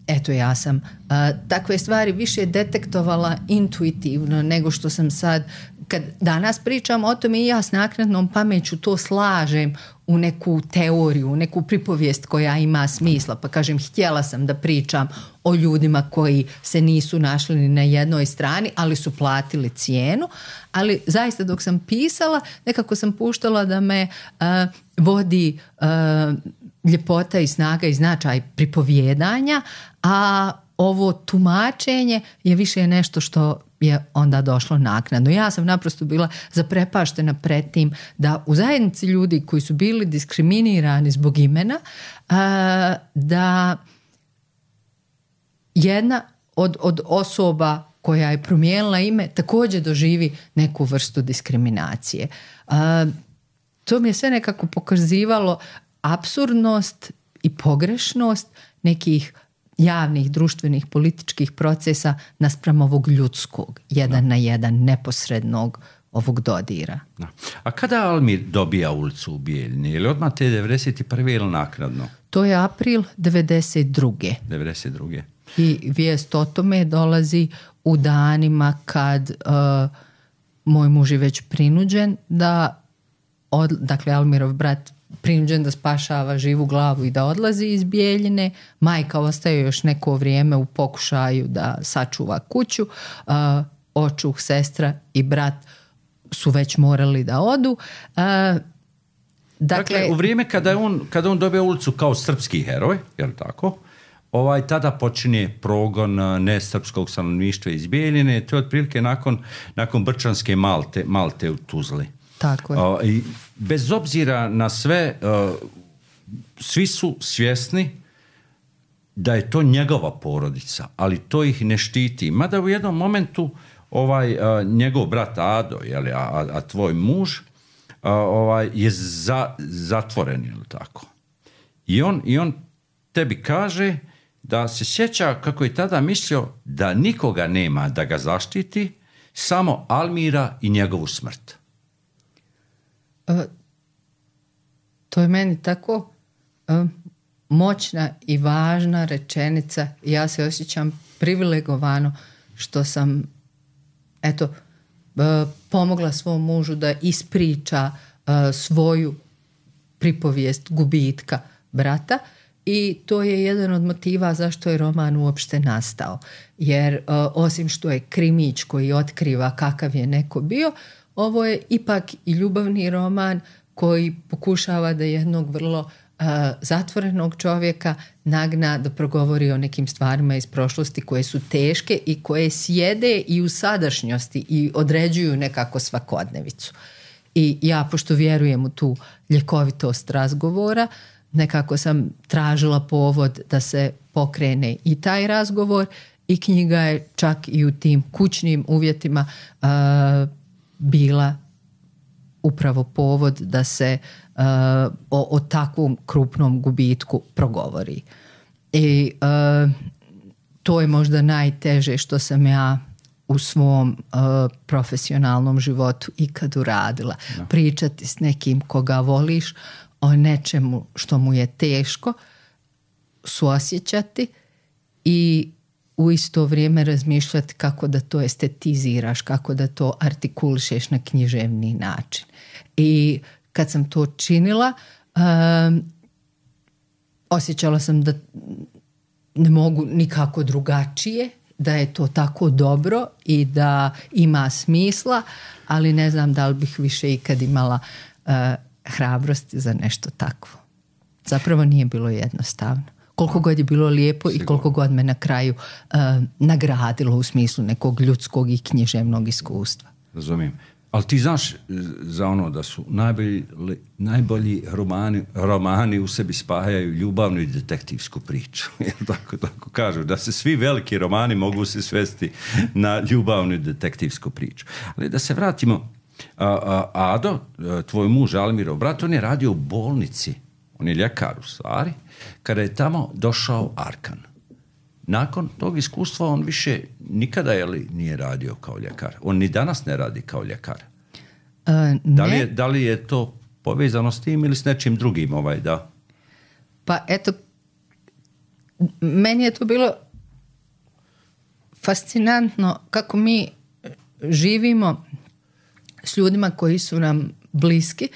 eto, ja sam a, takve stvari više detektovala intuitivno nego što sam sad, kad danas pričam o tome i ja s naknadnom pameću to slažem u neku teoriju, u neku pripovijest koja ima smisla, pa kažem, htjela sam da pričam o ljudima koji se nisu našli ni na jednoj strani, ali su platili cijenu, ali zaista dok sam pisala, nekako sam puštala da me uh, vodi uh, ljepota i snaga i značaj pripovjedanja, a ovo tumačenje je više nešto što je onda došlo naknadno. Ja sam naprosto bila zaprepaštena pred tim da u zajednici ljudi koji su bili diskriminirani zbog imena, da jedna od, od osoba koja je promijenila ime također doživi neku vrstu diskriminacije. To mi je sve nekako pokazivalo apsurdnost i pogrešnost nekih javnih, društvenih, političkih procesa naspram ovog ljudskog, jedan no. na jedan, neposrednog ovog dodira. No. A kada Almir dobija ulicu u Bijeljini? Je li odmah te devedeset prve ili naknadno? To je april devedeset druge devedeset druge I vijest o tome dolazi u danima kad uh, moj muž je već prinuđen da, od, dakle Almirov brat prinuđen da spašava živu glavu i da odlazi iz Bijeljine. Majka ostaje još neko vrijeme u pokušaju da sačuva kuću. Uh, očuh, sestra i brat su već morali da odu. Uh, dakle, dakle, u vrijeme kada on, kada on dobije ulicu kao srpski heroj, je li tako? Ovaj, tada počinje progon nesrpskog stanovništva iz Bijeljine. To je otprilike nakon, nakon Brčanske Malte, Malte u Tuzli. Tako je. Uh, i bez obzira na sve, uh, svi su svjesni da je to njegova porodica, ali to ih ne štiti. Mada u jednom momentu ovaj, uh, njegov brat Ado, jeli, a, a tvoj muž, uh, ovaj, je za, zatvoren, ili tako. I on, I on tebi kaže da se sjeća kako je tada mislio da nikoga nema da ga zaštiti, samo Almira i njegovu smrt. Uh, to je meni tako uh, moćna i važna rečenica. Ja se osjećam privilegovano što sam eto uh, pomogla svom mužu da ispriča uh, svoju pripovijest gubitka brata i to je jedan od motiva zašto je roman uopšte nastao. Jer uh, osim što je krimić koji otkriva kakav je neko bio, ovo je ipak i ljubavni roman koji pokušava da jednog vrlo uh, zatvorenog čovjeka nagna da progovori o nekim stvarima iz prošlosti koje su teške i koje sjede i u sadašnjosti i određuju nekako svakodnevicu. I ja, pošto vjerujem u tu ljekovitost razgovora, nekako sam tražila povod da se pokrene i taj razgovor i knjiga je čak i u tim kućnim uvjetima uh, bila upravo povod da se uh, o, o takvom krupnom gubitku progovori. I uh, to je možda najteže što sam ja u svom uh, profesionalnom životu ikad uradila. No. Pričati s nekim koga voliš o nečemu što mu je teško, suosjećati i u isto vrijeme razmišljati kako da to estetiziraš, kako da to artikulišeš na književni način. I kad sam to činila, um, osjećala sam da ne mogu nikako drugačije, da je to tako dobro i da ima smisla, ali ne znam da li bih više ikad imala uh, hrabrosti za nešto takvo. Zapravo nije bilo jednostavno. Koliko god je bilo lijepo Sigurno. I koliko god me na kraju uh, nagradilo u smislu nekog ljudskog i književnog iskustva. Razumijem. Ali ti znaš za ono da su najbolji, najbolji romani, romani u sebi spajaju ljubavnu i detektivsku priču. tako, tako kažu, da se svi veliki romani mogu se svesti na ljubavnu i detektivsku priču. Ali da se vratimo, a, a, Ado, tvoj muž Almirov brat, on je radio u bolnici, on je ljekar u stvari, kada je tamo došao Arkan. Nakon tog iskustva on više nikada je li nije radio kao ljekar. On ni danas ne radi kao ljekar. Uh, da, li je, da li je to povezano s tim ili s nečim drugim? Ovaj, da? Pa eto, meni je to bilo fascinantno kako mi živimo s ljudima koji su nam bliski,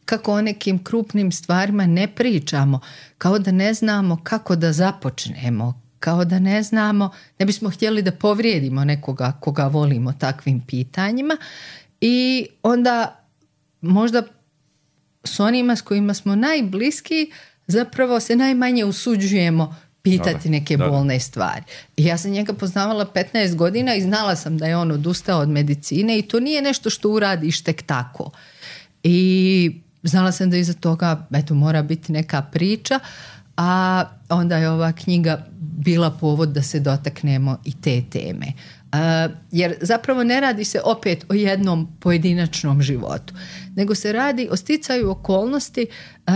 kako o nekim krupnim stvarima ne pričamo, kao da ne znamo kako da započnemo, kao da ne znamo, ne bismo htjeli da povrijedimo nekoga koga volimo takvim pitanjima i onda možda s onima s kojima smo najbliski zapravo se najmanje usuđujemo pitati neke da, da. bolne stvari. I ja sam njega poznavala petnaest godina i znala sam da je on odustao od medicine i to nije nešto što uradiš tek tako. I znala sam da iza toga eto, mora biti neka priča, a onda je ova knjiga bila povod da se dotaknemo i te teme. Uh, jer zapravo ne radi se opet o jednom pojedinačnom životu, nego se radi o sticaju okolnosti uh,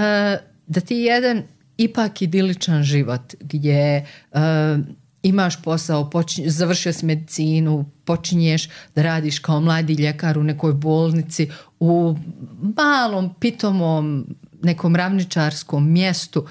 da ti jedan ipak idiličan život gdje uh, imaš posao, počinj, završio si medicinu, počinješ da radiš kao mladi ljekar u nekoj bolnici u malom, pitomom, nekom ravničarskom mjestu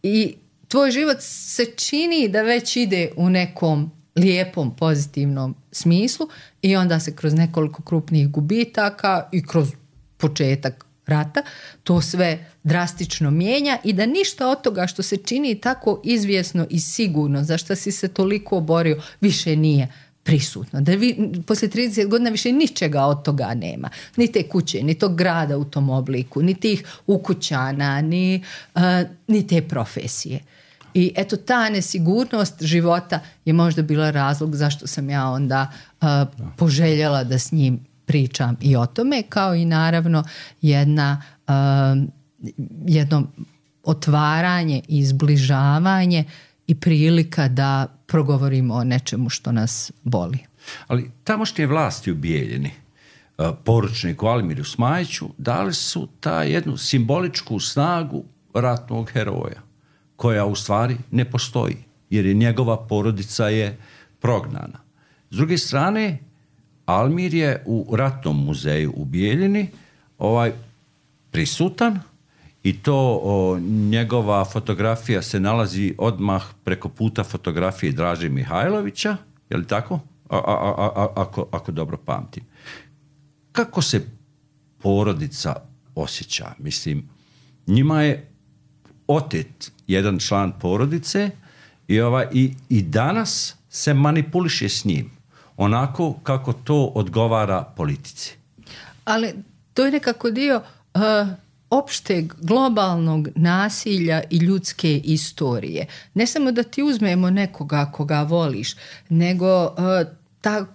i tvoj život se čini da već ide u nekom lijepom, pozitivnom smislu i onda se kroz nekoliko krupnih gubitaka i kroz početak rata to sve drastično mijenja i da ništa od toga što se čini tako izvjesno i sigurno, za što si se toliko borio, više nije prisutno. Da vi, poslije trideset godina više ničega od toga nema. Ni te kuće, ni tog grada u tom obliku, ni tih ukućana, ni, uh, ni te profesije. I eto ta nesigurnost života je možda bila razlog zašto sam ja onda uh, poželjela da s njim pričam i o tome, kao i naravno jedna, uh, jedno otvaranje i zbližavanje i prilika da progovorimo o nečemu što nas boli. Ali tamošnje vlasti u Bijeljini, uh, poručniku Almiru Smajiću, dali su ta jednu simboličku snagu ratnog heroja, koja u stvari ne postoji, jer je njegova porodica je prognana. S druge strane, Almir je u ratnom muzeju u Bijeljini ovaj, prisutan i to o, njegova fotografija se nalazi odmah preko puta fotografije Draže Mihajlovića, je li tako? A, a, a, a, ako, ako dobro pamtim. Kako se porodica osjeća? Mislim, njima je otet jedan član porodice i, ovaj, i, i danas se manipuliše s njim onako kako to odgovara politici. Ali to je nekako dio uh, opšteg globalnog nasilja i ljudske istorije. Ne samo da ti uzmemo nekoga koga voliš, nego uh, ta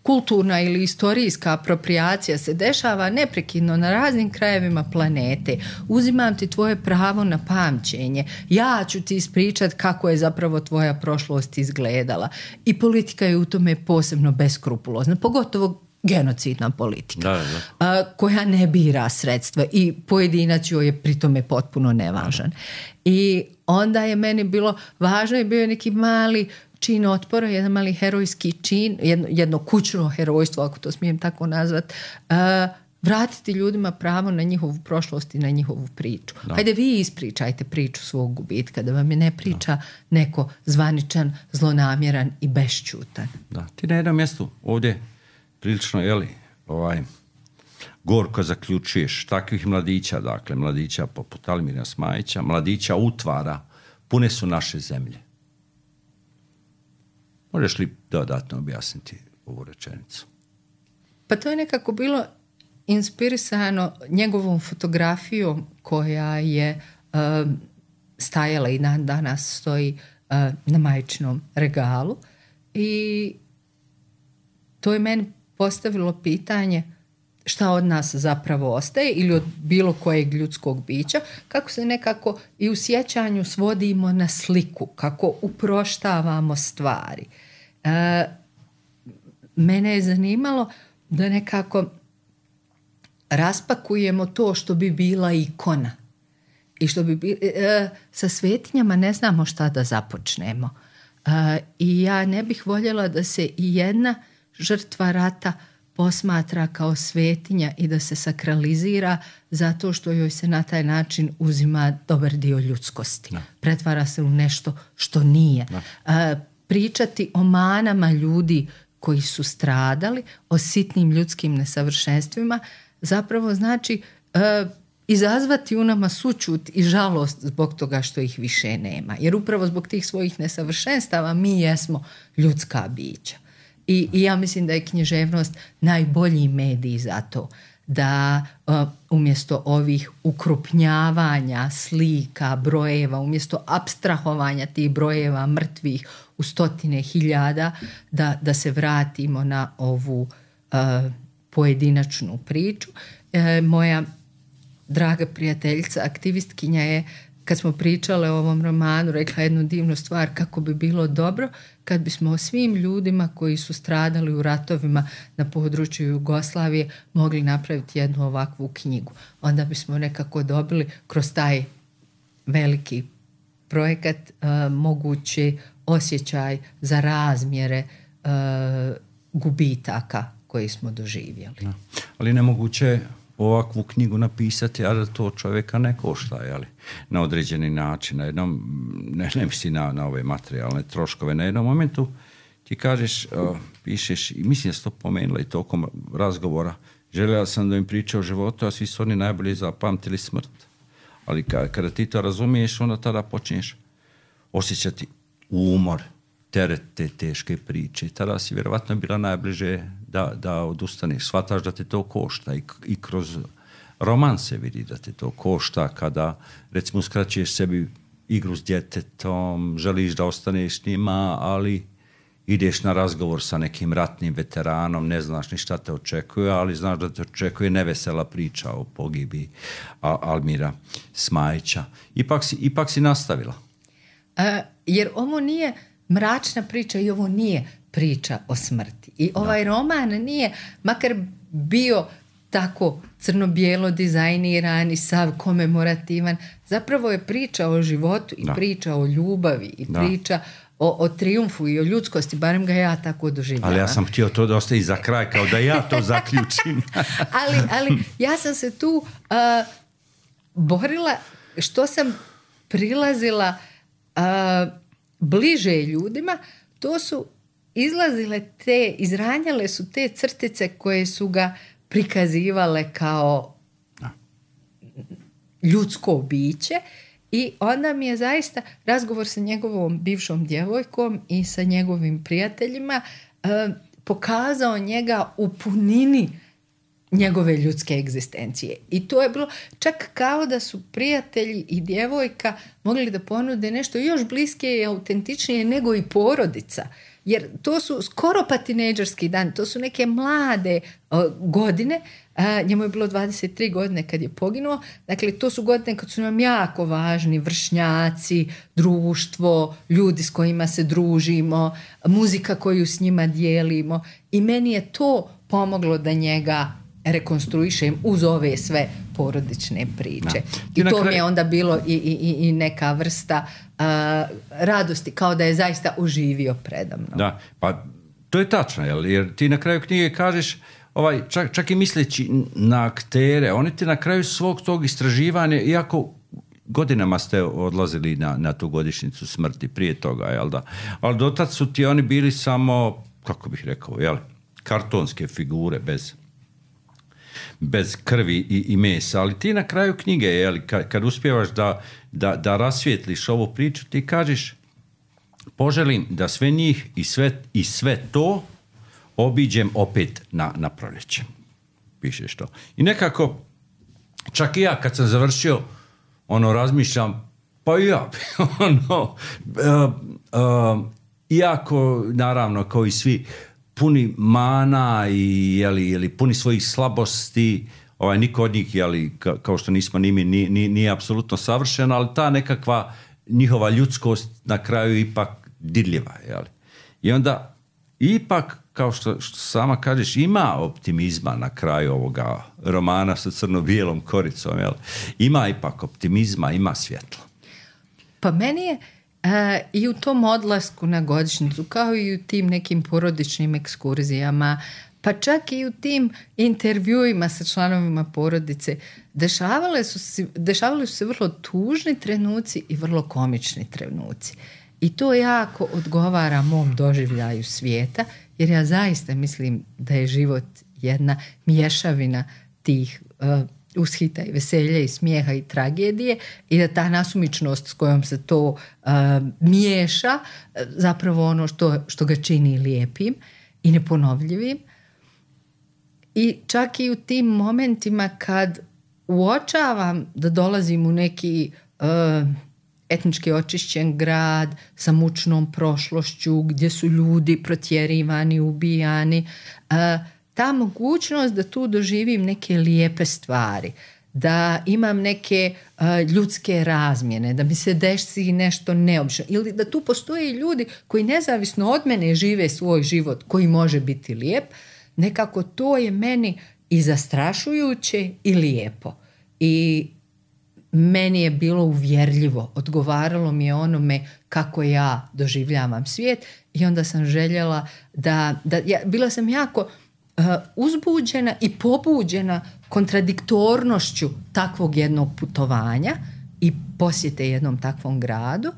kulturna ili istorijska apropriacija se dešava neprekidno na raznim krajevima planete. Uzimam ti tvoje pravo na pamćenje. Ja ću ti ispričati kako je zapravo tvoja prošlost izgledala. I politika je u tome posebno beskrupulozna, pogotovo genocidna politika, da, da. koja ne bira sredstva i pojedinac joj je pri tome potpuno nevažan. I onda je meni bilo važno i bio neki mali čin otpora, jedan mali herojski čin, jedno, jedno kućno herojstvo, ako to smijem tako nazvat, uh, vratiti ljudima pravo na njihovu prošlost i na njihovu priču. Da. Hajde vi ispričajte priču svog gubitka, da vam je ne priča da. neko zvaničan, zlonamjeran i bešćutan. Da, ti na jednom mjestu ovdje prilično, jeli, ovaj, gorko zaključuješ takvih mladića, dakle, mladića poput Almira Smajića, mladića utvara, pune su naše zemlje. Možeš li dodatno objasniti ovu rečenicu? Pa to je nekako bilo inspirisano njegovom fotografijom koja je uh, stajala i dan danas stoji uh, na majčinom regalu i to je meni postavilo pitanje šta od nas zapravo ostaje ili od bilo kojeg ljudskog bića, kako se nekako i u sjećanju svodimo na sliku, kako uproštavamo stvari. E, mene je zanimalo da nekako raspakujemo to što bi bila ikona i što bi bi, e, sa svetinjama ne znamo šta da započnemo. E, I ja ne bih voljela da se i jedna žrtva rata posmatra kao svetinja i da se sakralizira zato što joj se na taj način uzima dobar dio ljudskosti. No. Pretvara se u nešto što nije. No. E, pričati o manama ljudi koji su stradali, o sitnim ljudskim nesavršenstvima, zapravo znači e, izazvati u nama sućut i žalost zbog toga što ih više nema. Jer upravo zbog tih svojih nesavršenstava mi jesmo ljudska bića. I, i ja mislim da je književnost najbolji medij za to, da uh, umjesto ovih ukrupnjavanja slika, brojeva, umjesto apstrahovanja tih brojeva mrtvih u stotine hiljada, da, da se vratimo na ovu uh, pojedinačnu priču. E, moja draga prijateljica, aktivistkinja je, kad smo pričale o ovom romanu, rekla jednu divnu stvar, kako bi bilo dobro kad bismo o svim ljudima koji su stradali u ratovima na području Jugoslavije mogli napraviti jednu ovakvu knjigu. Onda bismo nekako dobili kroz taj veliki projekat uh, mogući osjećaj za razmjere uh, gubitaka koji smo doživjeli. No. Ali nemoguće ovakvu knjigu napisati, a da to čovjeka ne košta, jeli? Na određeni način. Na jednom, ne, ne misli na, na ove materijalne troškove, na jednom momentu ti kažeš, uh, pišeš, i mislim da si to pomenula i tokom razgovora, željela sam da im priča o životu, a svi su oni najbolje zapamtili smrt. Ali kada, kada ti to razumiješ, onda tada počneš osjećati umor, teret te teške priče. Tada si vjerovatno bila najbliže da, da odustaneš. Shvataš da te to košta i, i kroz roman se vidi da te to košta kada, recimo, uskraćuješ sebi igru s djetetom, želiš da ostaneš s njima, ali ideš na razgovor sa nekim ratnim veteranom, ne znaš ni šta te očekuje, ali znaš da te očekuje nevesela priča o pogibi Almira Smajića. Ipak si, ipak si nastavila. A, jer ovo nije mračna priča i ovo nije priča o smrti. I ovaj da. roman nije, makar bio tako crno-bijelo dizajniran i sav komemorativan, zapravo je priča o životu i da. priča o ljubavi i da. priča o, o triumfu i o ljudskosti, barem ga ja tako doživljavam. Ali ja sam htio to da ostaje za kraj, kao da ja to zaključim. ali, ali ja sam se tu uh, borila što sam prilazila uh, bliže ljudima, to su izlazile te, izranjale su te crtice koje su ga prikazivale kao ljudsko biće i onda mi je zaista razgovor sa njegovom bivšom djevojkom i sa njegovim prijateljima eh, pokazao njega u punini njegove ljudske egzistencije. I to je bilo čak kao da su prijatelji i djevojka mogli da ponude nešto još bliskije i autentičnije nego i porodica. Jer to su skoro pa tinejdžerski dan, to su neke mlade uh, godine, uh, njemu je bilo dvadeset tri godine kad je poginuo, dakle to su godine kad su nam jako važni vršnjaci, društvo, ljudi s kojima se družimo, muzika koju s njima dijelimo i meni je to pomoglo da njega rekonstruišem uz ove sve porodične priče. I to kraj... mi je onda bilo i, i, i neka vrsta uh, radosti, kao da je zaista uživio predamnom. Da, pa to je tačno, jel? Jer ti na kraju knjige kažeš, ovaj, čak, čak i misleći na aktere, oni ti na kraju svog tog istraživanja, iako godinama ste odlazili na, na tu godišnjicu smrti prije toga, jel da? Ali dotad su ti oni bili samo, kako bih rekao, jel? Kartonske figure bez bez krvi i, i mesa, ali ti na kraju knjige, jeli, kad, kad uspijevaš da, da, da rasvijetliš ovu priču, ti kažeš poželim da sve njih i sve, i sve to obiđem opet na, na proljeće. Pišeš to. I nekako, čak i ja kad sam završio, ono, razmišljam, Pa ja, ono, uh, uh, iako, naravno, kao i svi, puni mana i jeli, jeli, puni svojih slabosti, ovaj, niko od njih, jeli, ka, kao što nismo ni mi, nije, nije, nije apsolutno savršeno, ali ta nekakva njihova ljudskost na kraju ipak dirljiva. Jeli. I onda ipak, kao što, što sama kažeš, ima optimizma na kraju ovoga romana sa crno-bijelom koricom. Jeli. Ima ipak optimizma, ima svjetlo. Pa meni je Uh, i u tom odlasku na godišnjicu, kao i u tim nekim porodičnim ekskurzijama, pa čak i u tim intervjuima sa članovima porodice, dešavale su se, dešavali su se vrlo tužni trenuci i vrlo komični trenuci. I to jako odgovara mom doživljaju svijeta, jer ja zaista mislim da je život jedna mješavina tih uh, ushita i veselja i smijeha i tragedije i da ta nasumičnost s kojom se to uh, miješa zapravo ono što, što ga čini lijepim i neponovljivim. I čak i u tim momentima kad uočavam da dolazim u neki uh, etnički očišćen grad sa mučnom prošlošću gdje su ljudi protjerivani, ubijani, uh, ta mogućnost da tu doživim neke lijepe stvari, da imam neke uh, ljudske razmjene, da mi se desi nešto neobično ili da tu postoje ljudi koji nezavisno od mene žive svoj život koji može biti lijep, nekako to je meni i zastrašujuće i lijepo. I meni je bilo uvjerljivo, odgovaralo mi je onome kako ja doživljavam svijet i onda sam željela da, da ja, bila sam jako Uh, uzbuđena i pobuđena kontradiktornošću takvog jednog putovanja i posjete jednom takvom gradu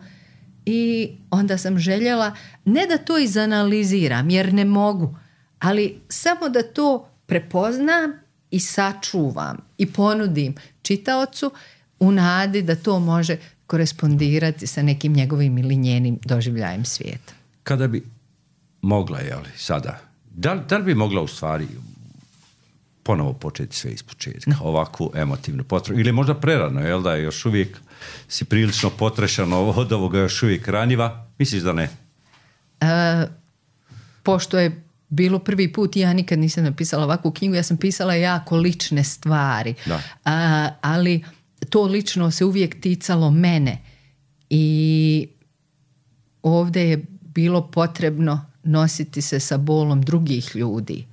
i onda sam željela ne da to izanaliziram jer ne mogu, ali samo da to prepoznam i sačuvam i ponudim čitaocu u nadi da to može korespondirati sa nekim njegovim ili njenim doživljajem svijeta. Kada bi mogla, jeli, sada Da li, da li bi mogla u stvari ponovo početi sve ispočetka, no. ovakvu emotivnu potrebu? Ili možda prerano, jel da je još uvijek si prilično potrešano od ovoga, još uvijek ranjiva? Misliš da ne? E, pošto je bilo prvi put, ja nikad nisam napisala ovakvu knjigu, ja sam pisala jako lične stvari, A, ali to lično se uvijek ticalo mene i ovdje je bilo potrebno nositi se sa bolom drugih ljudi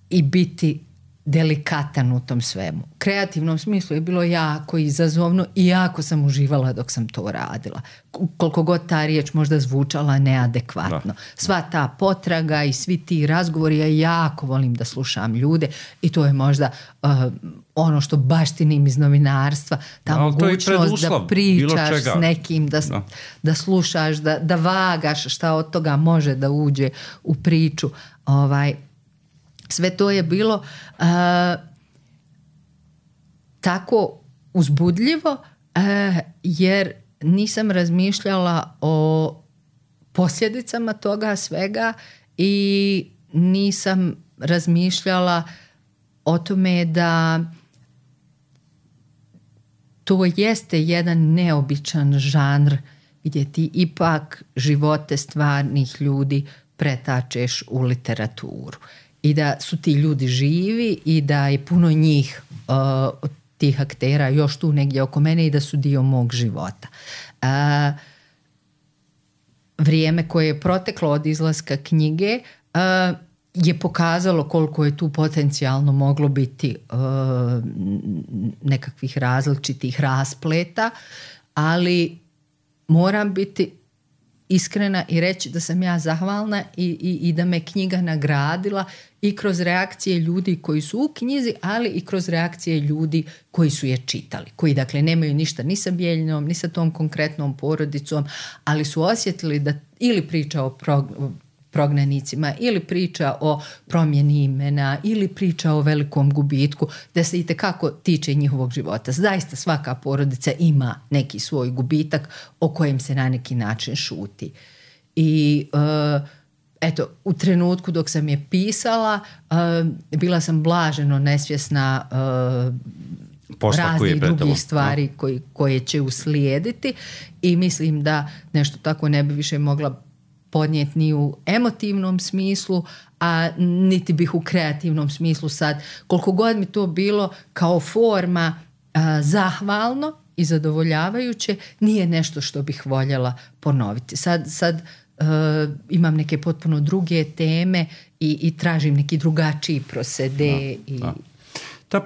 i biti delikatan u tom svemu. U kreativnom smislu je bilo jako izazovno i jako sam uživala dok sam to radila. Koliko god ta riječ možda zvučala neadekvatno. Sva ta potraga i svi ti razgovori, ja jako volim da slušam ljude i to je možda uh, ono što baštinim iz novinarstva, ta no, mogućnost da pričaš s nekim, da, no. da slušaš, da, da vagaš šta od toga može da uđe u priču. Ovaj, sve to je bilo uh, tako uzbudljivo uh, jer nisam razmišljala o posljedicama toga svega i nisam razmišljala o tome da to jeste jedan neobičan žanr gdje ti ipak živote stvarnih ljudi pretačeš u literaturu. I da su ti ljudi živi i da je puno njih uh, od tih aktera još tu negdje oko mene i da su dio mog života. Uh, vrijeme koje je proteklo od izlaska knjige uh, je pokazalo koliko je tu potencijalno moglo biti uh, nekakvih različitih raspleta, ali moram biti iskrena i reći da sam ja zahvalna i, i, i da me knjiga nagradila i kroz reakcije ljudi koji su u knjizi, ali i kroz reakcije ljudi koji su je čitali, koji dakle nemaju ništa ni sa Bijeljinom, ni sa tom konkretnom porodicom, ali su osjetili da ili priča o pro, prognanicima, ili priča o promjeni imena, ili priča o velikom gubitku, da se itekako tiče njihovog života. Zaista svaka porodica ima neki svoj gubitak o kojem se na neki način šuti. I uh, eto, u trenutku dok sam je pisala, uh, bila sam blaženo nesvjesna uh, posla koji je raznih pred tobom. drugih stvari koji, koje će uslijediti i mislim da nešto tako ne bi više mogla podnijeti ni u emotivnom smislu, a niti bih u kreativnom smislu sad. Koliko god mi to bilo kao forma a, zahvalno i zadovoljavajuće, nije nešto što bih voljela ponoviti. Sad, sad uh, imam neke potpuno druge teme i, i tražim neki drugačiji prosede. Da, i... da. Ta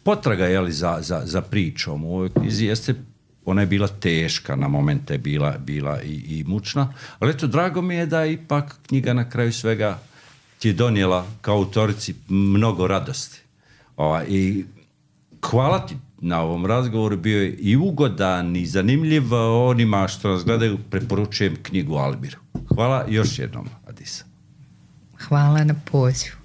potraga je li, za, za, za pričom u ovoj knjizi jeste, ona je bila teška, na momente je bila, bila i, i mučna, ali eto, drago mi je da ipak knjiga na kraju svega ti je donijela kao autorici mnogo radosti. Ova, i hvala ti na ovom razgovoru, bio je i ugodan i zanimljiv. Onima što nas gledaju preporučujem knjigu Albiru. Hvala još jednom, Adisa. Hvala na pozivu.